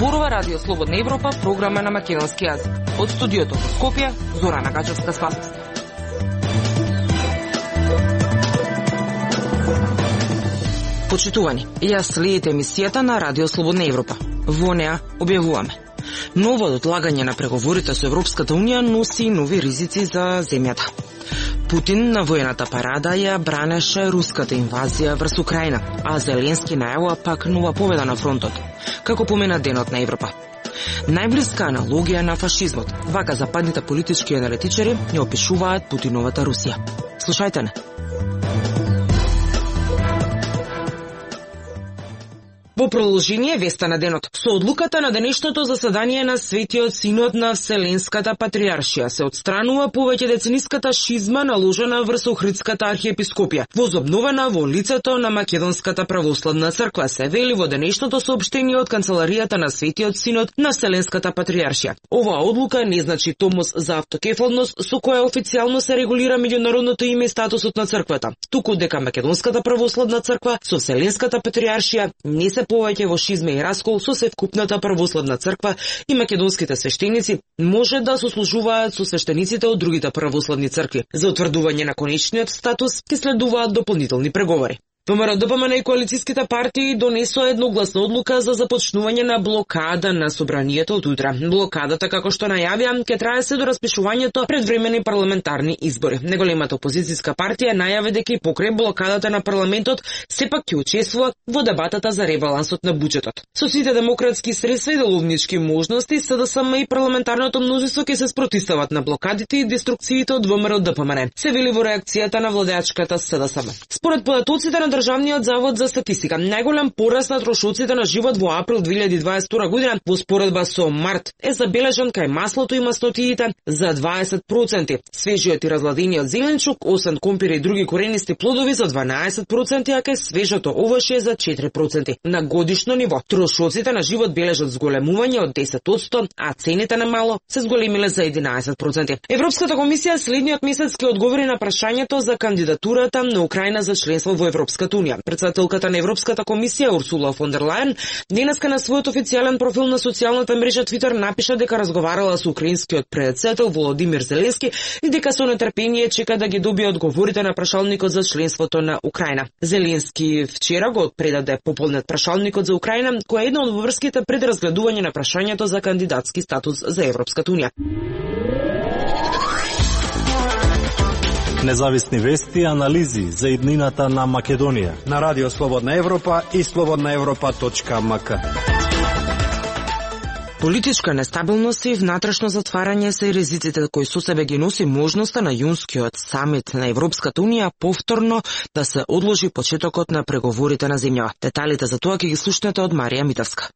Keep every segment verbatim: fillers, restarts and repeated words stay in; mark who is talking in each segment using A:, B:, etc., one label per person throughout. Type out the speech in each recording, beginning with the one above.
A: Зборува Радио Слободна Европа, програма на македонски јазик. Од студиото во Скопје, Зорана Гачевска-Спасовска. Почитувани, ја следите емисијата на Радио Слободна Европа. Во неа објавуваме: ново одлагање на преговорите со Европската Унија носи нови ризици за земјата. Путин на воената парада ја бранеше руската инвазија врз Украина, а Зеленски најавува пак нова победа на фронтот, како помена Денот на Европа. Најблиска аналогија на фашизмот, вака западните политички аналитичари ја опишуваат Путиновата Русија. Слушајте не. Во продолжение веста на денот, со одлуката на денешното заседание на Светиот Синод на Вселенската патриаршија се отстранува повеќе децениската шизма наложена врз Охридската архиепископија, возобновена во лицето на Македонската православна црква, се вели во денешното соопштение од канцеларијата на Светиот Синод на Вселенската патриаршија. Оваа одлука не значи томос за автокефалност со која официјално се регулира меѓународното име и статусот на црквата, туку дека Македонската православна црква со Вселенската патриаршија не се повеќе во шизма и раскол со севкупната православна црква и македонските свештеници може да сослужуваат со свештениците од другите православни цркви. За утврдување на конечниот статус ќе следуваат дополнителни преговори. ВМРО Д П М Н и коалицијските партии донесоа едногласна одлука за започнување на блокада на собранието од утре. Блокадата, како што најавија, ќе трае се до распишувањето предвремени парламентарни избори. Неголемата опозицијска партија најави дека и покрај блокадата на парламентот сепак ќе учествува во дебатата за ребалансот на буџетот. Со сите демократски средства и деловнички можности, С Д С М и парламентарното мнозинство ќе се спротивстават на блокадите и деструкциите од ВМРО Д П М Н, се вели во реакцијата на владеачката С Д С М. Според податоците на Државниот завод за статистика, најголем пораст на трошоците на живот во април две илјади дваесет и втора година во споредба со март е забележан кај маслото и маснотиите за дваесет проценти, свежиот и разладениот зеленчук, осем компир и други коренисти плодови за дванаесет проценти, а кај свежото овошје за четири проценти. На годишно ниво, трошоците на живот бележат зголемување од десет одсто, а цените на мало се зголемиле за единаесет проценти. Европската комисија следниот месец ќе одговори на прашањето за кандидатурата на Украина за членство во Европската Унија. Председателката на Европската комисија Урсула фон дер Лајен денеска на својот официјален профил на социјалната мрежа Твитер напиша дека разговарала со украинскиот председател Володимир Зеленски и дека со нетрпение чека да ги добие одговорите на прашалникот за членството на Украина. Зеленски вчера го предаде пополнет прашалникот за Украина, која е една од врските пред разгледување на прашањето за кандидатски статус за Европската Унија.
B: Независни вести и анализи за иднината на Македонија
C: на Радио Слободна Европа и слободна европа точка ем ка.
A: Политичка нестабилност и внатрешно затварање се ризиците кои со себе ги носи можноста на јунскиот самит на Европската Унија повторно да се одложи почетокот на преговорите на земјава. Деталите за тоа ќе ги слушнете од Марија Митевска.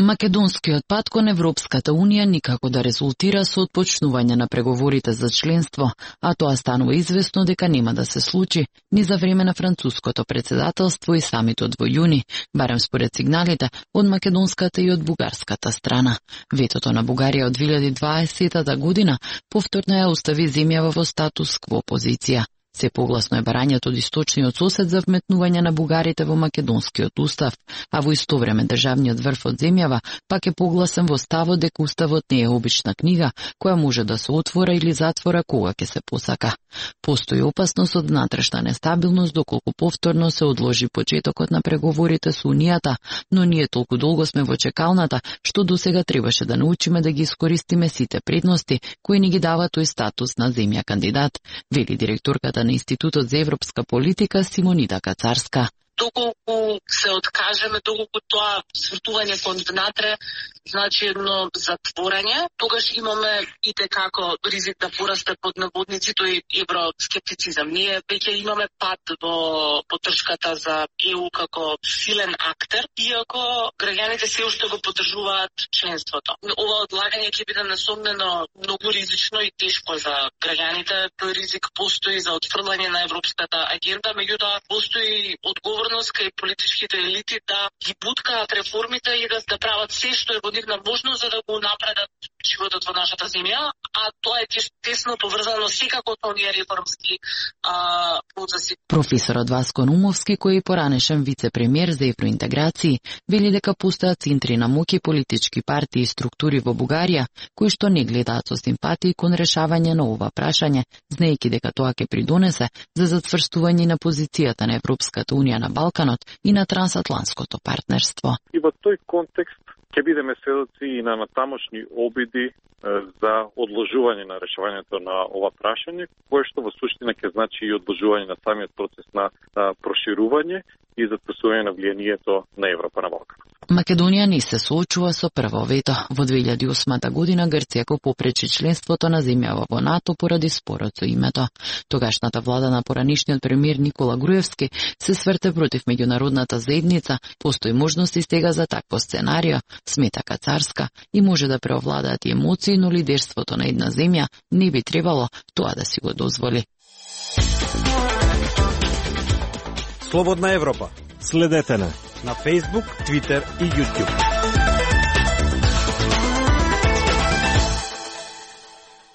D: Македонскиот пат кон Европската Унија никако да резултира со отпочнување на преговорите за членство, а тоа станува известно дека нема да се случи ни за време на француското председателство и самитот во јуни, барем според сигналите од македонската и од бугарската страна. Ветото на Бугарија од две илјади и дваесета година повторно ја остави земјава во статус кво позиција. Се погласно е барањето од источниот сосед за вметнување на бугарите во македонскиот устав, а во исто време државниот врв од земјава пак е погласен во ставот дека уставот не е обична книга која може да се отвора или затвора кога ќе се посака. Постои опасност од внатрешна нестабилност доколку повторно се одложи почетокот на преговорите со Унијата, но ние толку долго сме во чекалната што досега требаше да научиме да ги искористиме сите предности кои ни ги дава тој статус на земја кандидат, вели директорката на Институтот за европска политика Симонида Кацарска.
E: Доколку се откажеме, доколку тоа свртување кон внатре значи едно затворање, тогаш имаме и како ризик да порасте под наводници тој евроскептицизам. Ние веќе имаме пат во поддршката за Е У како силен актер, иако граѓаните се уште го поддржуваат членството. Ова одлагање ќе биде несомнено многу ризично и тешко за граѓаните. Тој ризик постои за отфрлање на европската агенда, меѓутоа постои одговорност кај политичките елити да ги буткаат реформите и да, да прават се што е во нивна можност за да го напредат животот во нашата земја, а тоа е тесно поврзано секако со оние реформски а, процеси.
D: Професорот Васко Нумовски, кој е поранешен вице-премиер за евроинтеграции, вели дека постојат центри на моќ и политички партии и структури во Бугарија, кои што не гледаат со симпатии кон решавање на ова прашање, знаејќи дека тоа ќе придонесе за затврстување на позицијата на Европската унија на Балканот и на трансатлантското партнерство.
F: И во тој контекст ќе бидеме сведоци и на натамошни обиди за одложување на решавањето на ова прашање, кое што во суштина ќе значи и одложување на самиот процес на, на проширување и затврстување на влијанието на Европа на Балканот.
D: Македонија не се соочува со прво вето. Во две илјади и осма година Грција го попречи членството на земјава во НАТО поради спорот со името. Тогашната влада на поранишниот премиер Никола Груевски се сврте против меѓународната заедница. Постои можности стега за такво сценарио, смета Кацарска, и може да преовладаат и емоции, но лидерството на една земја не би требало тоа да си го дозволи.
C: Слободна Европа.
B: Следете не
C: на Facebook, Twitter и YouTube.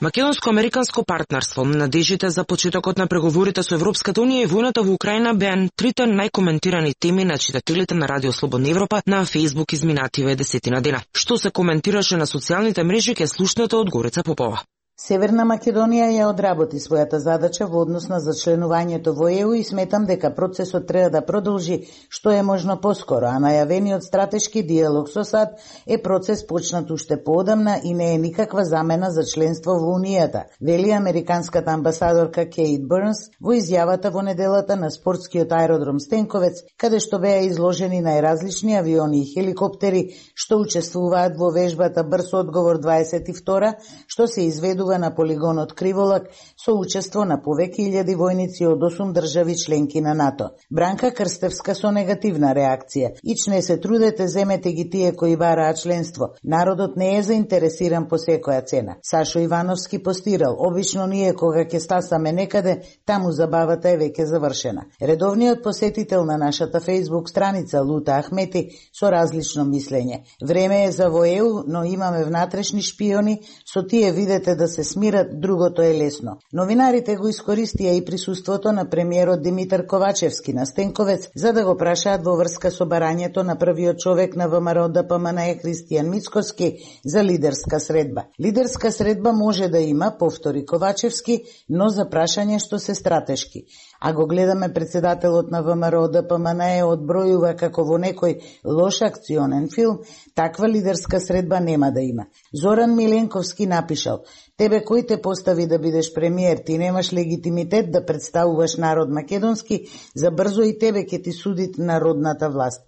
A: Македонско-американско партнерство, надежите за почетокот на преговорите со Европската унија и војната во Украина беа трите најкоментирани теми на читателите на Радио Слободна Европа на Facebook изминативе десетина дена. Што се коментираше на социјалните мрежи ке слушнете од Горица Попова.
G: Северна Македонија ја одработи својата задача во однос на зачленувањето во Е У и сметам дека процесот треба да продолжи што е можно поскоро, а најавениот стратешки диалог со САД е процес почнат уште поодамна и не е никаква замена за членство во Унијата, вели американската амбасадорка Кейт Бернс во изјавата во неделата на спортскиот аеродром Стенковец, каде што беа изложени најразлични авиони и хеликоптери што учествуваат во вежбата Брз одговор дваесет и втора, што се изведу на полигонот Криволак со учество на повеќе илјади војници од осум држави членки на НАТО. Бранка Крстевска со негативна реакција. Ич не се трудете, земете ги тие кои бараат членство. Народот не е заинтересиран по секоја цена. Сашо Ивановски постирал: обично ние кога ќе стасаме некаде, таму забавата е веќе завршена. Редовниот посетител на нашата Facebook страница Лута Ахмети со различно мислење. Време е за во Е У, но имаме внатрешни шпиони, со тие видете да се смират, другото е лесно. Новинарите го искористија и присуството на премиерот Димитар Ковачевски на Стенковец за да го прашаат во врска со барањето на првиот човек на ВМРО Д П М Н Е Христијан Мицкоски за лидерска средба. Лидерска средба може да има, повтори Ковачевски, но за прашање што се стратешки. А го гледаме председателот на ВМРО Д П М Н Е одбројува како во некој лош акционен филм, таква лидерска средба нема да има. Зоран Миленковски напишал: тебе кој те постави да бидеш премиер, ти немаш легитимитет да представуваш народ македонски, за брзо и тебе ќе ти суди народната власт.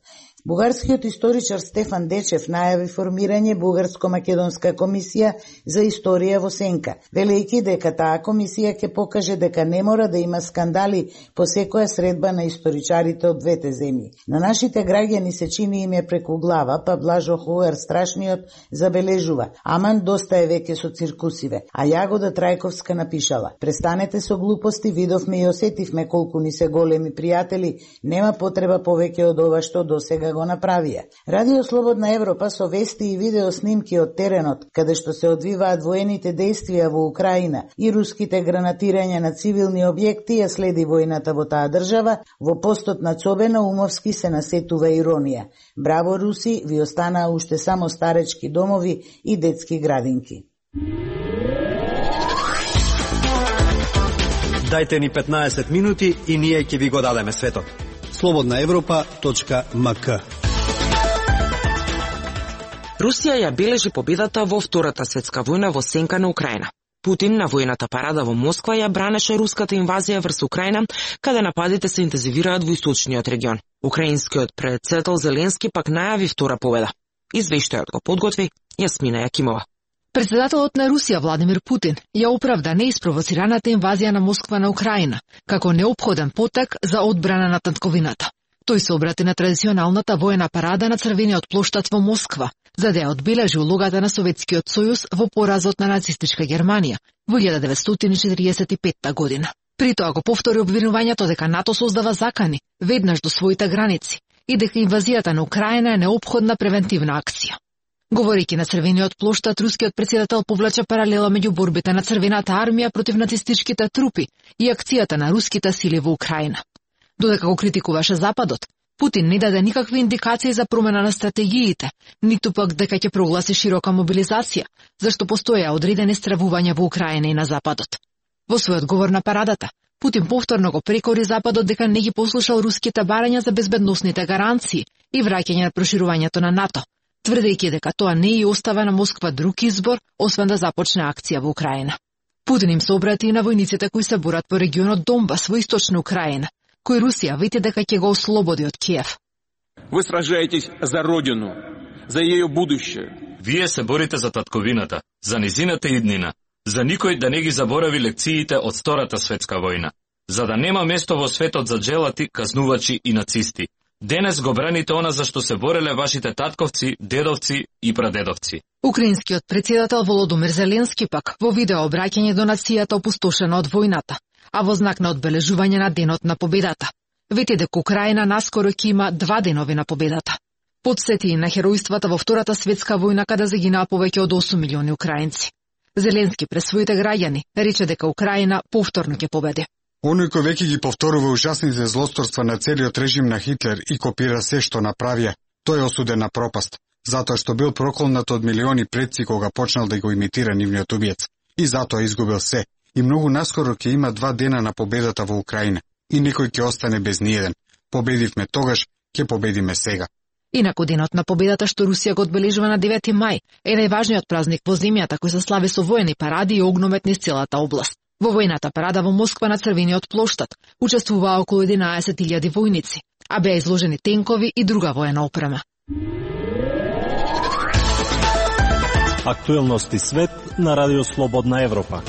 G: Бугарскиот историчар Стефан Дечев најави формирање Бугарско-македонска комисија за историја во сенка, велејќи дека таа комисија ќе покаже дека не мора да има скандали по секоја средба на историчарите од двете земји. На нашите граѓани се чини им е преку глава, па Блажо Хуер Страшниот забележува: аман доста е веќе со циркусиве. А Јагода Трајковска напишала: престанете со глупости, видовме и осетивме колку ни се големи пријатели, нема потреба повеќе од ова што досега го направија. Радио Слободна Европа со вести и видео снимки од теренот, каде што се одвиваат воените действија во Украина и руските гранатирања на цивилни објекти, ја следи војната во таа држава, во постот на Цобе Наумовски се насетува иронија: браво руси, ви останаа уште само старечки домови и детски градинки.
C: Дајте ни петнаесет минути и ние ќе ви го дадеме светот. слободна европа точка м к.
A: Русија ја бележи победата во Втората светска војна во сенка на Украина. Путин на војната парада во Москва ја бранеше руската инвазија врз Украина, каде нападите се интензивираат во источниот регион. Украинскиот председател Зеленски пак најави втора победа. Извештајот го подготви Јасмина Јакимова.
H: Председателот на Русија Владимир Путин ја оправда неиспровоцираната инвазија на Москва на Украина како неопходен потек за одбрана на татковината. Тој се обрати на традиционалната воена парада на Црвениот плоштад во Москва, за да ја одбележи улогата на Советскиот сојуз во поразот на нацистичка Германија во илјада деветстотини четиридесет и петта година. При тоа го повтори обвинувањето дека НАТО создава закани веднаш до своите граници и дека инвазијата на Украина е неопходна превентивна акција. Говорејќи на Црвениот плоштад, рускиот претседател повлача паралела меѓу борбите на Црвената армија против нацистичките трупи и акцијата на руските сили во Украина. Додека го критикуваше Западот, Путин не даде никакви индикации за промена на стратегиите, ниту пак дека ќе прогласи широка мобилизација, зашто постоја одредени стравувања во Украина и на Западот. Во својот говор на парадата, Путин повторно го прекори Западот дека не ги послушал руските барања за безбедносните гаранции и враќање на проширувањето на НАТО, тврдејќи дека тоа не и остава на Москва друг избор, освен да започне акција во Украина. Путин им се обрати и на војниците кои се борат по регионот Донбас во источна Украина, кој Русија вети дека ќе го ослободи од Киев.
I: Вы сражаетесь за родину, за ејо будуще.
J: Вие се борите за татковината, за низината иднина, за никој да не ги заборави лекциите од Втората светска војна, за да нема место во светот за джелати, казнувачи и нацисти. Денес го браните она за што се бореле вашите татковци, дедовци и прадедовци.
H: Украинскиот претседател Володомир Зеленски пак во видео обраќање до нацијата опустошена од војната, а во знак на одбележување на денот на победата. Вети дека Украина наскоро ќе има два денови на победата. Подсети и на херојствата во Втората светска војна каде загинаа повеќе од осум милиони украинци. Зеленски пред своите граѓани рече дека Украина повторно ќе победи.
K: Оној кој веќе ги повторува ужасните злосторства на целиот режим на Хитлер и копира се што направија, тој е осуден на пропаст, затоа што бил проколнат од милиони предци кога почнал да го имитира нивниот убиец. И затоа изгубил се. И многу наскоро ќе има два дена на победата во Украина. И некој ќе остане без ниеден. Победивме тогаш, ќе победиме сега.
H: Инаку денот на победата што Русија го одбележува на девети мај е најважниот празник во земјата кој се слави со воени паради и огномет низ целата област. Во војната парада во Москва на Црвениот плоштад учествуваа околу единаесет илјади војници, а беа изложени тенкови и друга воена опрема.
B: Актуелности свет на Радио Слободна Европа.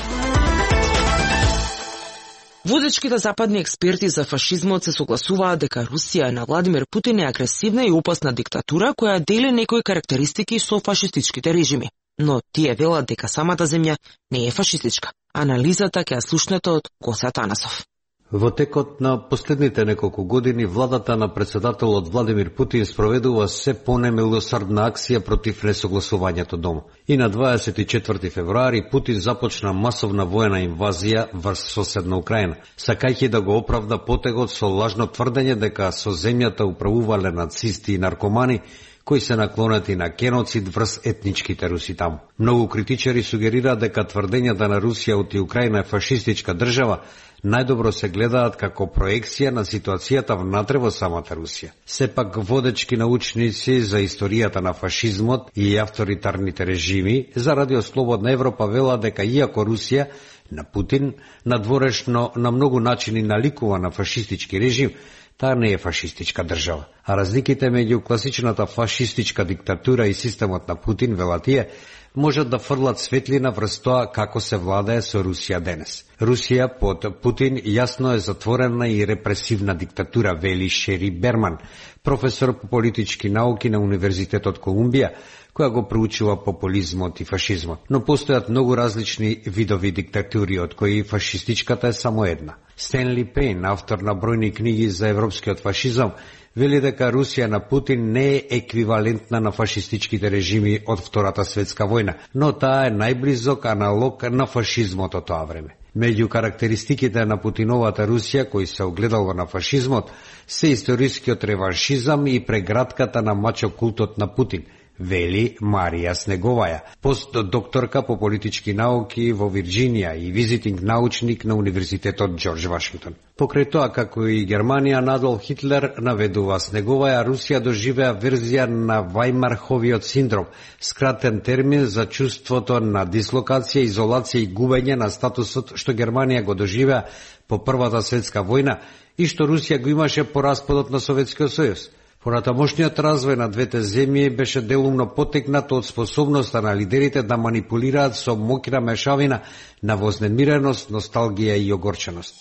A: Водечките западни експерти за фашизмот се согласуваат дека Русија на Владимир Путин е агресивна и опасна диктатура која дели некои карактеристики со фашистичките режими. Но тие велат дека самата земја не е фашистичка. Анализата ќе ја слушнете од Госе Атанасов.
L: Во текот на последните неколку години, владата на председателот Владимир Путин спроведува се понемилосрдна акција против несогласувањето дома. И на дваесет и четврти февруари Путин започна масовна воена инвазија врз соседна Украина, сакајќи да го оправда потегот со лажно тврдење дека со земјата управувале нацисти и наркомани, кои се наклонети на геноцид врз етничките руси таму. Многу критичари сугерираат дека тврдењата на Русија оти Украина е фашистичка држава најдобро се гледаат како проекција на ситуацијата внатре во самата Русија. Сепак водечки научници за историјата на фашизмот и авторитарните режими за Радио Слободна Европа велат дека иако Русија на Путин надворешно на многу начини наликува на фашистички режим, таа не е фашистичка држава. А разликите меѓу класичната фашистичка диктатура и системот на Путин, велат тие, можат да фрлат светлина врз тоа како се владее со Русија денес. Русија под Путин јасно е затворена и репресивна диктатура, вели Шери Берман, професор по политички науки на Универзитетот Колумбија, која го проучува популизмот и фашизмот. Но постојат многу различни видови диктатури, од кои фашистичката е само една. Стенли Пейн, автор на бројни книги за европскиот фашизам, вели дека Русија на Путин не е еквивалентна на фашистичките режими од Втората светска војна, но таа е најблизок аналог на фашизмот од тоа време. Меѓу карактеристиките на Путиновата Русија, кој се огледало на фашизмот, се историскиот реваншизам и прегратката на мачо-култот на Путин, вели Марија Снеговаја, постдокторка по политички науки во Вирџинија и визитинг научник на Универзитетот Џорџ Вашингтон. Покрај тоа, како и Германија на Адолф Хитлер, наведува Снеговаја, Русија доживеа верзија на Вајмарховиот синдром, скратен термин за чувството на дислокација, изолација и губење на статусот што Германија го доживеа по Првата светска војна и што Русија го имаше по распадот на Советскиот сојуз. Понатамошниот развој на двете земји беше делумно потекнат од способноста на лидерите да манипулираат со моќна мешавина на вознемиреност, носталгија и огорченост.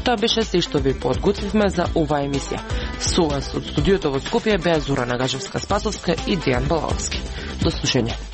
A: Тоа беше се што ви подготвивме за оваа емисија. Со вас од студиото во Скопје беа Зора Нагажевска-Спасовска и Дејан Балаловски. До слушање.